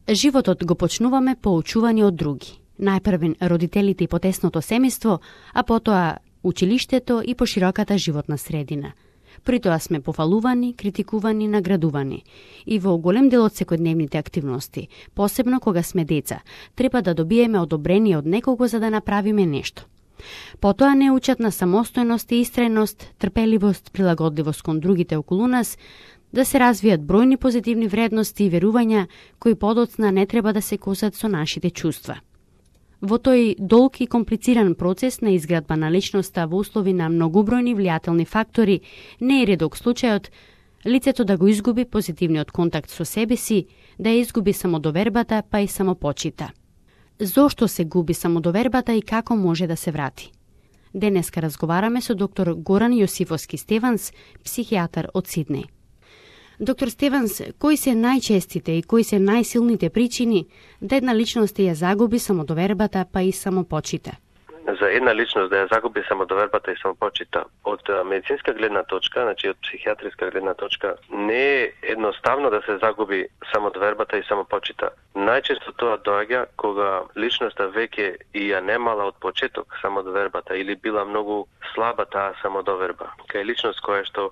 Животот го почнуваме поучувани од други. Најпрвен родителите и потесното семејство, а потоа училиштето и пошироката животна средина. При тоа сме пофалувани, критикувани, наградувани. И во голем дел од секојдневните активности, посебно кога сме деца, треба да добиеме одобрение од некого за да направиме нешто. Потоа не учат на самостојност и истрајност, трпеливост, прилагодливост кон другите околу нас, да се развијат бројни позитивни вредности и верувања кои подоцна не треба да се косат со нашите чувства. Во тој долг и комплициран процес на изградба на личноста во услови на многобројни влијателни фактори, не е редок случајот лицето да го изгуби позитивниот контакт со себе си, да ја изгуби самодовербата, па и самопочита. Зошто се губи самодовербата и како може да се врати? Денеска разговараме со доктор Горан Јосифовски Стеванс, психијатар од Сиднеј. Доктор Стеванс, кои се најчестите и кои се најсилните причини да една личност ја загуби самодовербата, па и самопочита? За една личност да ја загуби самодовербата и самопочита, од медицинска гледна точка, значи од психијатриска гледна точка, не е едноставно да се загуби самодовербата и самопочита. Најчесто тоа доаѓа кога личноста веќе и ја немала од почеток самодовербата или била многу слаба таа самодоверба. Кај личност која што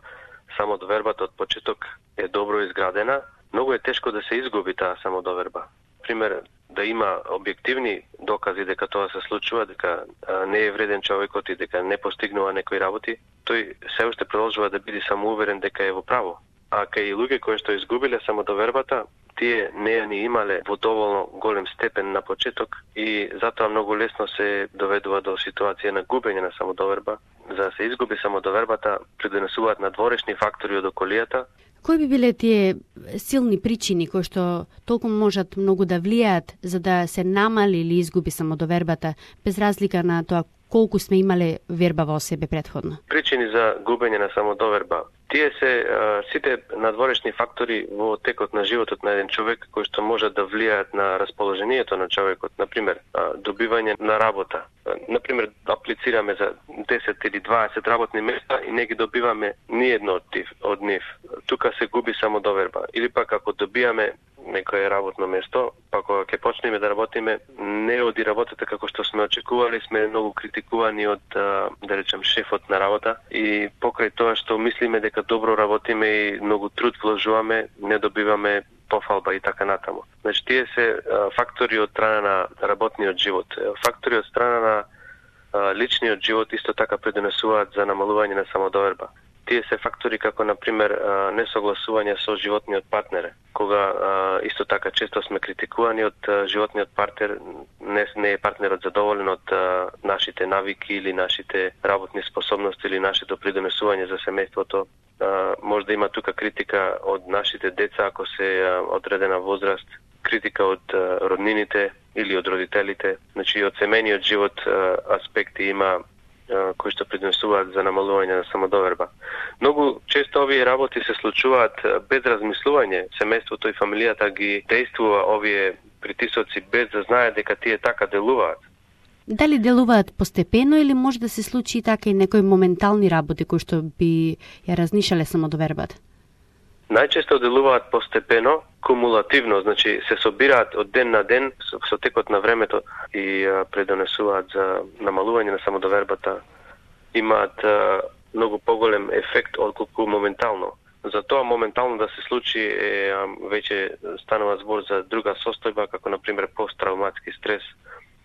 самодовербата од почеток е добро изградена, многу е тешко да се изгуби таа самодоверба. Пример, да има објективни докази дека тоа се случува, дека не е вреден човекот и дека не постигнува некои работи, тој се уште продолжува да биде самоуверен дека е во право. А кај луѓе кои што изгубиле самодовербата, тие не ја ни имале во доволно голем степен на почеток и затоа многу лесно се доведува до ситуација на губење на самодоверба. За да се изгуби самодовербата, придонесуваат надворешни фактори од околијата. Кои би биле тие силни причини кои што толку можат многу да влијаат за да се намали или изгуби самодовербата, без разлика на тоа колку сме имале верба во себе претходно? Причини за губење на самодоверба. Тие се сите надворешни фактори во текот на животот на еден човек кои што можат да влијаат на расположението на човекот. Например, добивање на работа. Например, аплицираме за 10 или 20 работни места и не ги добиваме ни едно од нив. Тука се губи самодоверба. Или пак ако добиваме некое работно место, па кога ќе почнеме да работиме, не оди работата како што сме очекували, сме многу критикувани од, да речем, шефот на работа и покрај тоа што мислиме дека добро работиме и многу труд вложуваме, не добиваме пофалба и така натаму. Значи, тие се фактори од страна на работниот живот. Фактори од страна на личниот живот исто така придонесуваат за намалување на самодоверба. Тие се фактори како, например, несогласување со животниот партнер. Кога исто така често сме критикувани од животниот партнер, не е партнерот задоволен од нашите навики или нашите работни способности или нашето придонесување за семејството. Може да има тука критика од нашите деца ако се одредена возраст, критика од роднините или од родителите. Значи, од семејниот живот аспекти има кои што придонесуваат за намалување на самодоверба. Многу често овие работи се случуваат без размислување. Семејството и фамилијата ги действува овие притисоци без да знаат дека тие така делуваат. Дали делуваат постепено или може да се случи така и некои моментални работи кои што би ја разнишале самодовербата? Најчесто делуваат постепено, кумулативно, значи се собираат од ден на ден со текот на времето и предонесуваат за намалување на самодовербата. Имаат многу поголем ефект отколку моментално. Затоа моментално да се случи веќе станува збор за друга состојба, како например посттравматски стрес,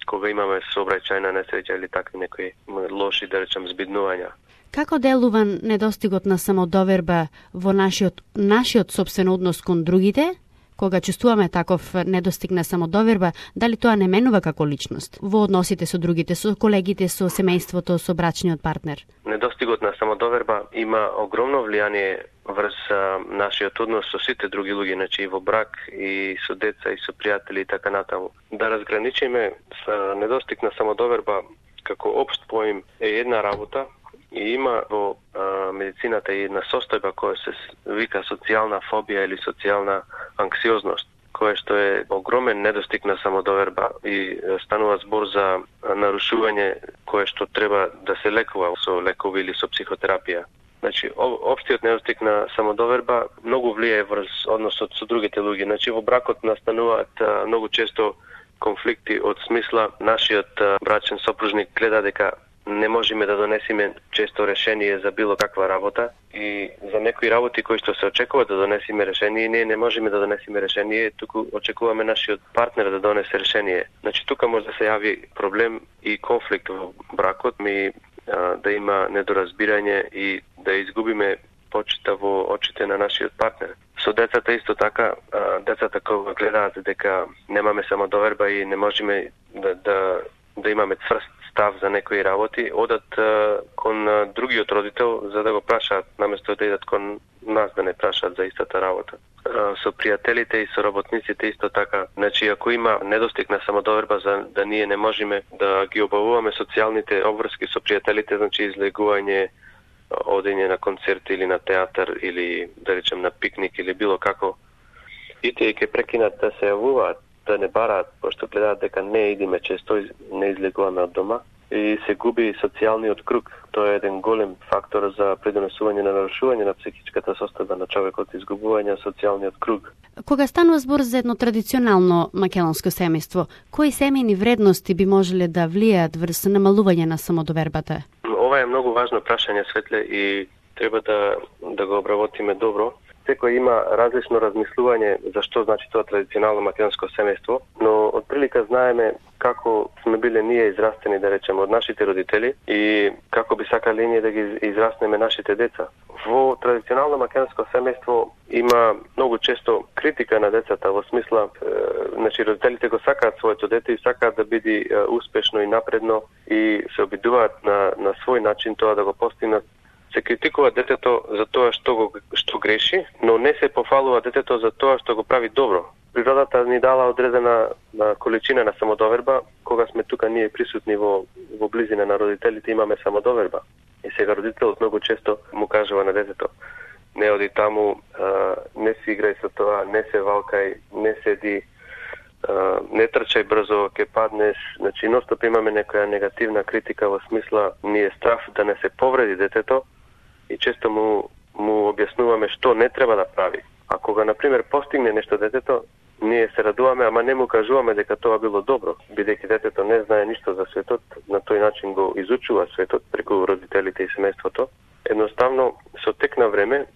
кога имаме сообраќајна несреќа или такви некои лоши, да речем, збиднувања. Како делува недостигот на самодоверба во нашиот собствен однос кон другите? Кога чувствуваме таков недостиг на самодоверба, дали тоа не менува како личност во односите со другите, со колегите, со семејството, со брачниот партнер? Недостигот на самодоверба има огромно влијание врз нашиот однос со сите други луѓе, значи и во брак, и со деца, и со пријатели и така натаму. Да разграничиме со недостиг на самодоверба како општ поим е една работа, и има во медицината и една состојба која се вика социјална фобија или социјална анксиозност, која што е огромен недостиг на самодоверба и станува збор за нарушување кое што треба да се лекува со лекови или со психотерапија. Значи, општиот недостиг на самодоверба многу влијае врз односот со другите луѓе. Значи, во бракот настануваат многу често конфликти од смисла нашиот брачен сопружник гледа дека не можеме да донесеме често решение за било каква работа и за некои работи кои што се очекува да донесеме решение, ние не можеме да донесеме решение, туку очекуваме нашиот партнер да донесе решение. Значи, тука може да се јави проблем и конфликт во бракот, да има недоразбирање и да изгубиме почита во очите на нашиот партнер. Со децата исто така, децата кога гледаат дека немаме самодоверба и не можеме да имаме цврст став за некои работи, одат кон другиот родител за да го прашаат, наместо да идат кон нас да не прашаат за истата работа. Со пријателите и со работниците исто така. Значи, ако има недостиг на самодоверба за да ние не можеме да ги обавуваме социјалните обврски со пријателите, значи излегување, одење на концерт или на театар или да речем на пикник или било како, и тие ќе прекинат да се јавуваат, да не бараат, пошто гледаат дека не идиме често, не излегуваме од дома и се губи социјалниот круг. Тоа е еден голем фактор за придонесување на нарушување на психичката состојба на човекот, изгубување на социјалниот круг. Кога станува збор за едно традиционално македонско семејство, кои семејни вредности би можеле да влијаат врз намалување на самодовербата? Ова е многу важно прашање, Светле, и треба да го обработиме добро. Секој има различно размислување за што значи тоа традиционално македонско семејство, но од прилика знаеме како сме биле ние израстени, да речеме, од нашите родители и како би сакале ние да ги израснеме нашите деца. Во традиционално македонско семејство има многу често критика на децата во смисла, значи родителите го сакаат своето дете и сакаат да биде успешно и напредно и се обидуваат на свој начин тоа да го постигнат. Се критикува детето за тоа што греши, но не се пофалува детето за тоа што го прави добро. Природата ни дала одредена количина на самодоверба, кога сме тука ние присутни во близина на родителите имаме самодоверба. И сега родителот многу често му кажува на детето: не оди таму, не си играј со тоа, не се валкај, не седи, не трчај брзо, ќе паднеш. Значи, ностоп имаме некоја негативна критика во смисла ни е страв да не се повреди детето и често му објаснуваме што не треба да прави. А кога, например, постигне нешто детето, ние се радуваме, ама не му кажуваме дека тоа било добро, бидејќи детето не знае ништо за светот, на тој начин го изучува светот преку родителите и семејството. Едноставно, со тек на време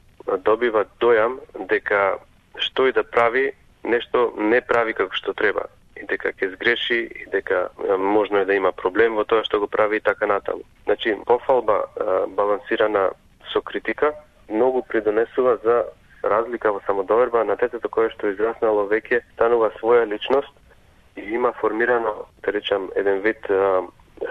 добива дојам дека што и да прави, нешто не прави како што треба. И дека ќе сгреши, и дека можно е да има проблем во тоа што го прави и така натаму. Значи, пофалба балансирана со критика многу придонесува за разлика во самодоверба на детето кое што израснало веќе, станува своја личност и има формирано, да речам, еден вид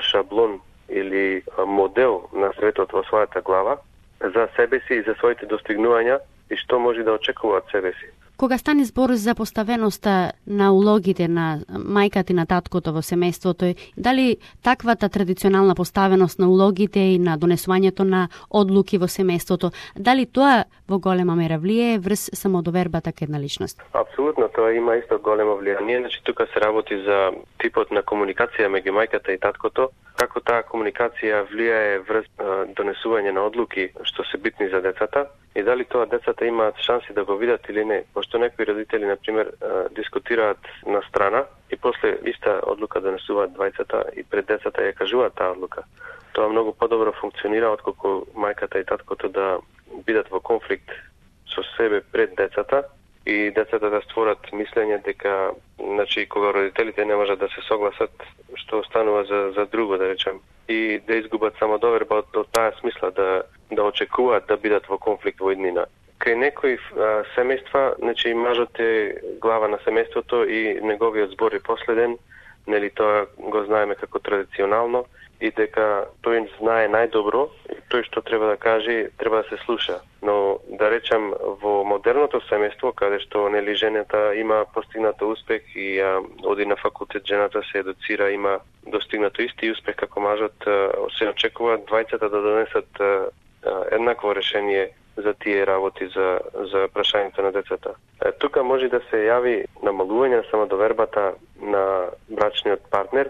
шаблон или модел на светот во својата глава за себе си и за своите достигнувања и што може да очекува од себе си. Кога стане збор за поставеноста на улогите на мајката и на таткото во семејството, дали таквата традиционална поставеност на улогите и на донесувањето на одлуки во семејството, дали тоа во голема мера влијае врз самодовербата кај една личност? Апсолутно, тоа има исто големо влијание. Значи, тука се работи за типот на комуникација меѓу мајката и таткото, како таа комуникација влијае врз донесување на одлуки што се битни за децата и дали тоа децата имаат шанси да го видат или не. Пошто некои родители, например, дискутираат на страна и после иста одлука донесуваат двајцата и пред децата ја кажуваат таа одлука. Тоа многу подобро функционира отколку мајката и таткото да бидат во конфликт со себе пред децата и децата да створат мислење дека, значи, кога родителите не можат да се согласат, што останува за друго, да речем, и да изгубат самодоверба од таа смисла, да очекуваат да бидат во конфликт во иднина. Кај некои семејства, значи, мажот е глава на семејството и неговиот збор е последен, нели, тоа го знаеме како традиционално, и дека тој знае најдобро и тој што треба да каже, треба да се слуша. Но, да речем, во модерното семејство, каде што, нели, жената има постигнато успех и оди на факултет, жената се едуцира, има достигнато исти успех како мажот, се очекува двајцата да донесат еднакво решение за тие работи, за прашањето на децата. Тука може да се јави намалување на самодовербата на брачниот партнер,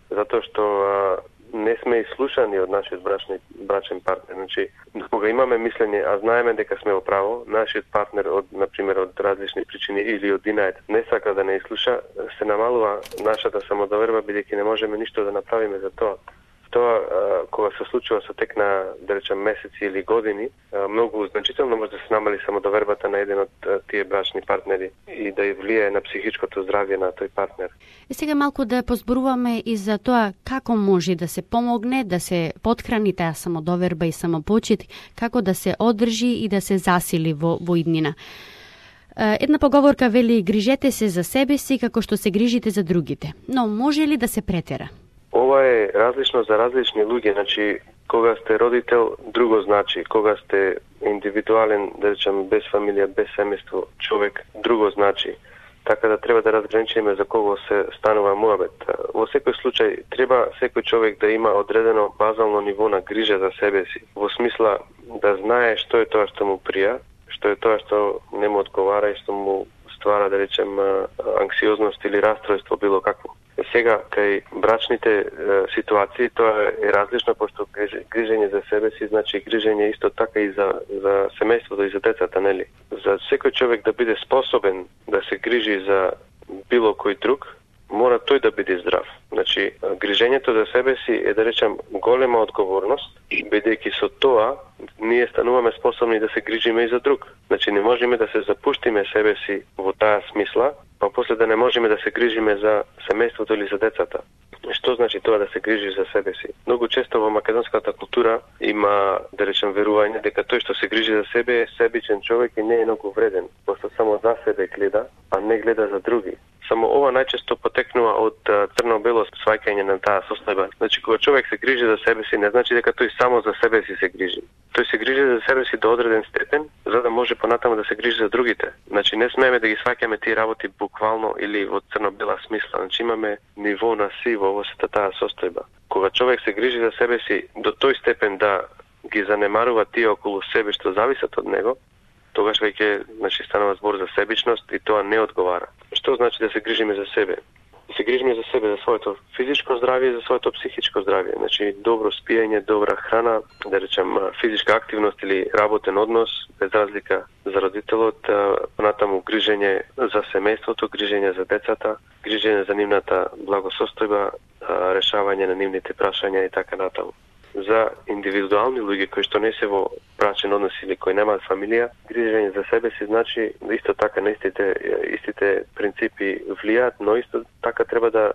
затоа што не сме ислушани од нашиот брачен партнер. Значи, кога имаме мислење, а знаеме дека сме во право, нашиот партнер например од различни причини или од инајд не сака да не ислуша, се намалува нашата самодоверба, бидејќи не можеме ништо да направиме за тоа. Тоа, кога се случува со тек на, да речем, месеци или години, многу значително може да се намали самодовербата на еден од тие брачни партнери и да ја влијае на психичкото здравје на тој партнер. И сега малку да позборуваме и за тоа како може да се помогне, да се потхрани таа самодоверба и самопочит, како да се одржи и да се засили во иднина. Една поговорка вели: грижете се за себе си како што се грижите за другите. Но може ли да се претера? Ова е различно за различни луѓе, значи кога сте родител друго значи, кога сте индивидуален, да речем без фамилија, без семејство човек друго значи. Така да треба да разграничиме за кого се станува муабет. Во секој случај треба секој човек да има одредено базално ниво на грижа за себе си, во смисла да знае што е тоа што му прија, што е тоа што не му одговара и што му ствара, да речем, анксиозност или расстройство било какво. Сега, кај брачните ситуации, тоа е различно, пошто грижење за себе си значи грижење исто така и за семејството и за децата, нели? За секој човек да биде способен да се грижи за било кој друг, мора тој да биде здрав. Значи, грижењето за себе си е, да речем, голема одговорност, бидејќи со тоа ние стануваме способни да се грижиме и за друг. Значи, не можеме да се запуштиме себе си во таа смисла, па после да не можеме да се грижиме за семејството или за децата. Што значи тоа да се грижи за себе си? Многу често во македонската култура има, да речем, верување дека тој што се грижи за себе е себичен човек и не е многу вреден, пошто само за себе гледа, а не гледа за други. Само ова најчесто потекнува од црно-бело сваќање на таа состојба. Значи, кога човек се грижи за себе си, не значи дека тој само за себе си се грижи. Тој се грижи за себе си до одреден степен, за да може понатаму да се грижи за другите. Значи, не смееме да ги сваќаме тие работи буквално или во црно-бела смисла. Значи, имаме ниво на сиво во сета таа состојба. Кога човек се грижи за себе си до тој степен да ги занемарува тие околу себе што зависат од него, тогаш веќе, значи, станува збор за себичност и тоа не одговара. Што значи да се грижиме за себе? Да се грижиме за себе, за своето физичко здравје и за своето психичко здравје. Значи, добро спиење, добра храна, да речем, физичка активност или работен однос, без разлика за родителот, понатаму грижење за семејството, грижење за децата, грижење за нивната благосостојба, решавање на нивните прашања и така натаму. За индивидуални луѓе кои што не се во брачен однос или кои немаат фамилија, грижење за себе си значи исто така на истите принципи влијаат, но исто така треба да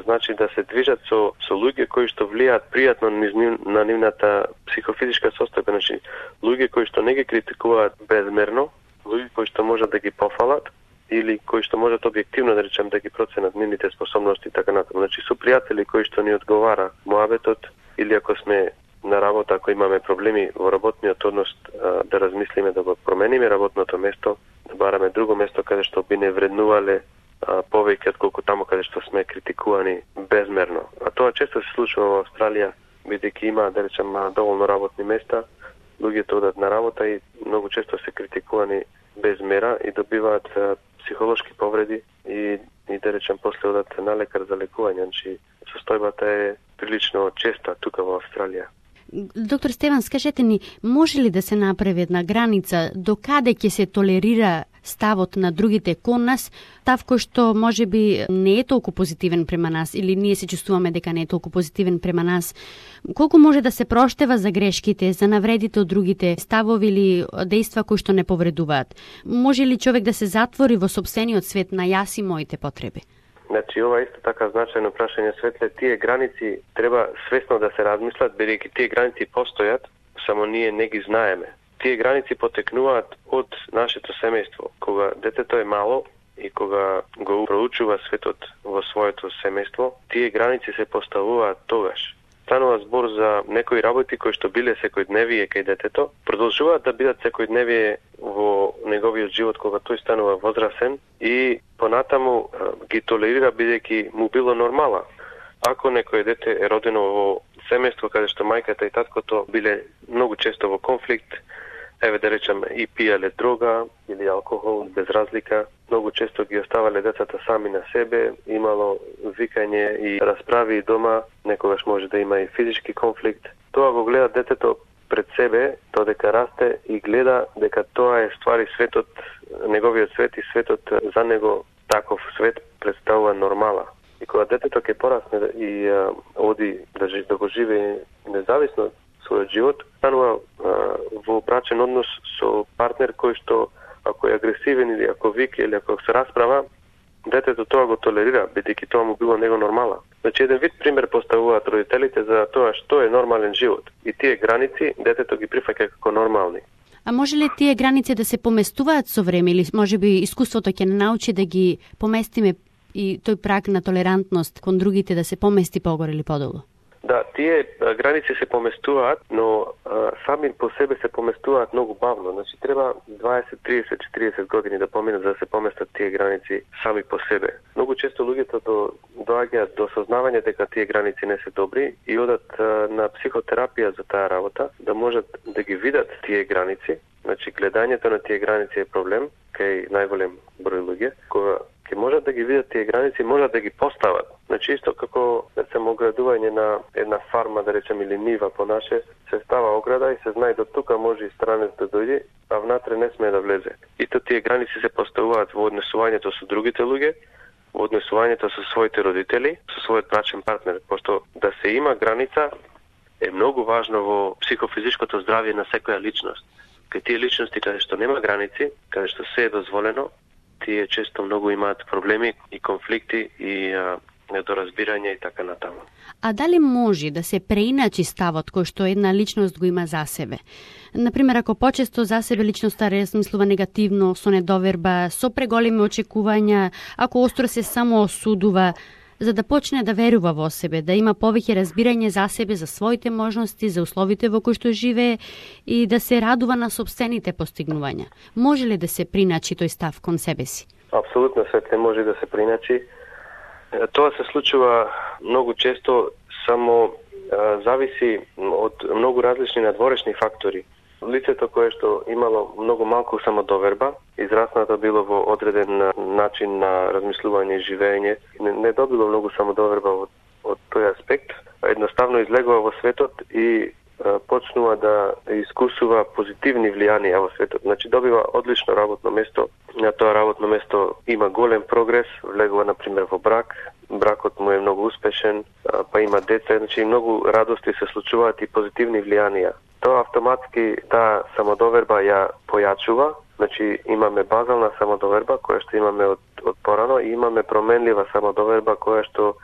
значи да се движат со луѓе кои што влијаат пријатно на нивната психофизичка состојба, значи луѓе кои што не ги критикуваат безмерно, луѓе кои што можат да ги пофалат или кои што можат објективно, да речем, да ги проценат нивните способности и така натаму. Значи со пријатели кои што ни одговара муабетот, или ако сме на работа, ако имаме проблеми во работниот однос, да размислиме да го промениме работното место, да бараме друго место каде што би не вреднувале повеќе отколку таму каде што сме критикувани безмерно. А тоа често се случува во Австралија, бидејќи има, да речем, доволно работни места, луѓето одат на работа и многу често се критикувани без мера и добиваат психолошки повреди и да речем после одат на лекар за лекување. Значи, состојбата е прилично честа тука во Австралија. Доктор Стеван, скажете ни, може ли да се направи една граница до каде ќе се толерира ставот на другите кон нас, став кој што може би не е толку позитивен према нас или ние се чувствуваме дека не е толку позитивен према нас? Колку може да се проштева за грешките, за навредите од другите, ставови или дејства кои што не повредуваат? Може ли човек да се затвори во сопствениот свет на јас и моите потреби? Значи, ова исто така значајно прашање, Светле. Тие граници треба свесно да се размислат, бидејќи тие граници постојат, само ние не ги знаеме. Тие граници потекнуваат од нашето семејство. Кога детето е мало и кога го проучува светот во своето семејство, тие граници се поставуваат тогаш. Станува збор за некои работи кои што биле секојдневие кај детето, продолжуваат да бидат секојдневие во неговиот живот кога тој станува возрасен и понатаму ги толерира бидејќи му било нормала. Ако некој дете е родено во семејство каде што мајката и таткото биле многу често во конфликт, еве да речем, и пиеле дрога или алкохол без разлика. Многу често ги оставале децата сами на себе, имало викање и расправи дома, некогаш може да има и физички конфликт. Тоа го гледа детето пред себе, додека расте и гледа дека тоа е ствари светот, неговиот свет и светот за него, таков свет представува нормала. И кога детето ќе порасне и оди да го живее независно својот живот, станува во брачен однос со партнер кој што ако е агресивен или ако вика или ако се расправа, детето тоа го толерира, бидејќи тоа му било него нормала. Значи еден вид пример поставуваат родителите за тоа што е нормален живот. И тие граници детето ги прифаќа како нормални. А може ли тие граници да се поместуваат со време или можеби искуството ќе научи да ги поместиме и тој праг на толерантност кон другите да се помести погоре или подолу? Да, тие граници се поместуваат, но сами по себе се поместуваат многу бавно. Значи треба 20, 30, 40 години да поминат за да се поместат тие граници сами по себе. Многу често луѓето доаѓаат до сознавање дека тие граници не се добри и одат на психотерапија за таа работа, да можат да ги видат тие граници. Значи гледањето на тие граници е проблем кај најголем број луѓе. Кога ќе можат да ги видат тие граници, можат да ги постават. Значи исто како речем оградување на една фарма, да речем, или нива по наше, се става ограда и се знае до тука може и странец да дојде, а внатре не смее да влезе. Ито тие граници се поставуваат во однесувањето со другите луѓе, во однесувањето со своите родители, со својот брачен партнер, пошто да се има граница е многу важно во психофизичкото здравје на секоја личност. Кај тие личности каде што нема граници, каде што се е дозволено, тие често многу имаат проблеми и конфликти и недоразбирање и така натаму. А дали може да се преиначи ставот кој што една личност го има за себе? Например, ако почесто за себе личноста размислува негативно, со недоверба, со преголеми очекувања, ако остро се само осудува, за да почне да верува во себе, да има повеќе разбирање за себе, за своите можности, за условите во кои што живее и да се радува на сопствените постигнувања. Може ли да се приначи тој став кон себе си? Апсолутно свет не може да се приначи. Тоа се случува многу често, само зависи од многу различни надворешни фактори. Лицето кое што имало многу малку самодоверба, израснато било во одреден начин на размислување и живење, не добило многу самодоверба од тој аспект, едноставно излегува во светот и почнува да искусува позитивни влијанија во светот. Значи добива одлично работно место, на тоа работно место има голем прогрес, влегува например во брак, бракот му е многу успешен, па има деца, значи многу радости се случуваат и позитивни влијанија. Тоа автоматски таа самодоверба ја појачува, значи имаме базална самодоверба која што имаме од порано и имаме променлива самодоверба која што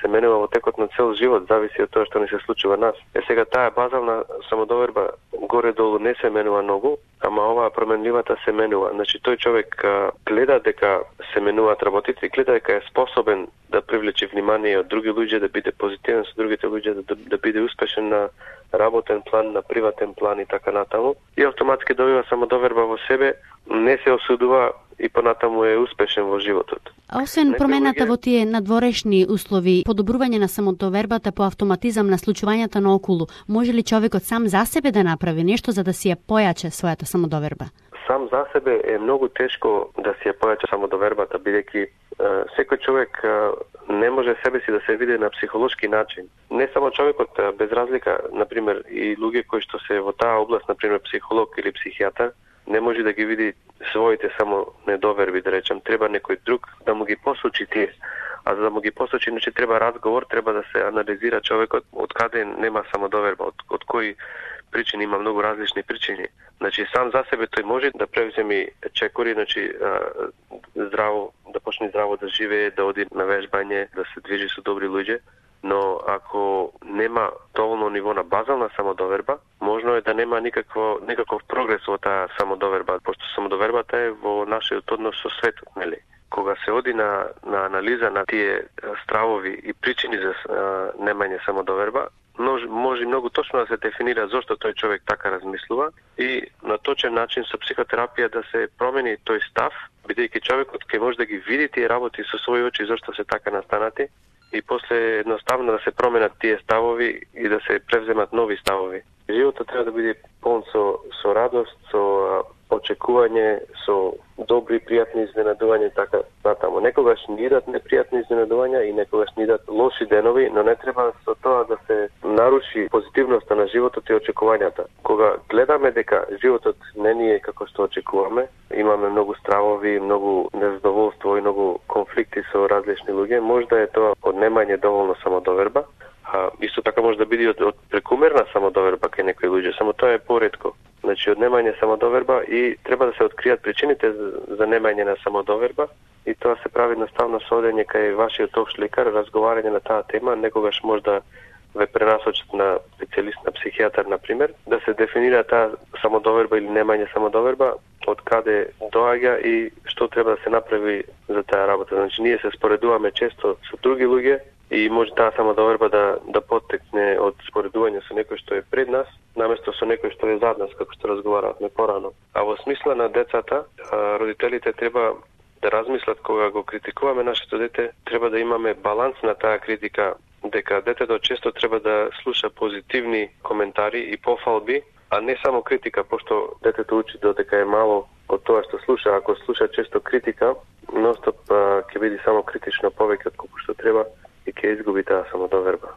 се менува во текот на цел живот, зависи од тоа што ни се случува нас. Сега таа базална самодоверба горе-долу не се менува многу, ама оваа променливата се менува. Значи тој човек гледа дека се менуваат работите, гледа дека е способен да привлече внимание од други луѓе, да биде позитивен со другите луѓе, да биде успешен на работен план, на приватен план и така натаму. И автоматски добива самодоверба во себе, не се осудува и понатаму е успешен во животот. А освен промената во тие надворешни услови, подобрување на самодовербата по автоматизам на случувањата наоколу, може ли човекот сам за себе да направи нешто за да си ја појаче својата самодоверба? Сам за себе е многу тешко да си ја појаче самодовербата, бидејќи секој човек не може себе си да се види на психолошки начин. Не само човекот, без разлика, например, и луѓе кои што се во таа област, например, психолог или психијатар, не може да ги види своите само недоверби, да речем. Треба некој друг да му ги посочи тие. А за да му ги посочи, значи треба разговор, треба да се анализира човекот од каде нема самодоверба, од кои причини, има многу различни причини. Значи сам за себе тој може да превземи чекори, значи здраво, да почне здраво да живее, да оди на вежбање, да се движи со добри луѓе, но ако нема доволно ниво на базална самодоверба, можно е да нема никаков прогрес во таа самодоверба, пошто самодовербата е во нашиот однос со светот, нели? Кога се оди на анализа на тие стравови и причини за немање самодоверба, може многу точно да се дефинира зошто тој човек така размислува и на точен начин со психотерапија да се промени тој став, бидејќи човекот ќе може да ги види тие работи со своји очи зошто се така настанати и после едноставно да се променат тие ставови и да се превземат нови ставови. Животот треба да биде полн со радост, со очекување, со добри и пријатни изненадувања, така натаму. Некогаш ни идат непријатни изненадувања и некогаш ни идат лоши денови, но не треба со тоа да се наруши позитивноста на животот и очекувањата. Кога гледаме дека животот не ни е како што очекуваме, имаме многу стравови, многу незадоволство и многу конфликти со различни луѓе, може да е тоа од немање доволно самодоверба, исто така може да биде од прекумерна самодоверба кај некои луѓе, само тоа е поретко. Значи, од немање самодоверба и треба да се откријат причините за немање на самодоверба и тоа се прави наставно со одење кај вашиот општ лекар, разговарање на таа тема, некогаш може да ве пренасочат на специјалист, на психијатар, например, да се дефинира таа самодоверба или немање самодоверба, од каде доаѓа и што треба да се направи за таа работа. Значи, ние се споредуваме често со други луѓе и може таа самодоверба да поттекне од споредување со некој што е пред нас, наместо со некој што е зад нас, како што разговаравме порано. А во смисла на децата, родителите треба да размислат кога го критикуваме нашето дете, треба да имаме баланс на таа критика, дека детето често треба да слуша позитивни коментари и пофалби, а не само критика, пошто детето учи додека е мало од тоа што слуша. Ако слуша често критика, ностоп ќе биде само критично повеќе од колку што треба и ќе изгуби таа самодоверба.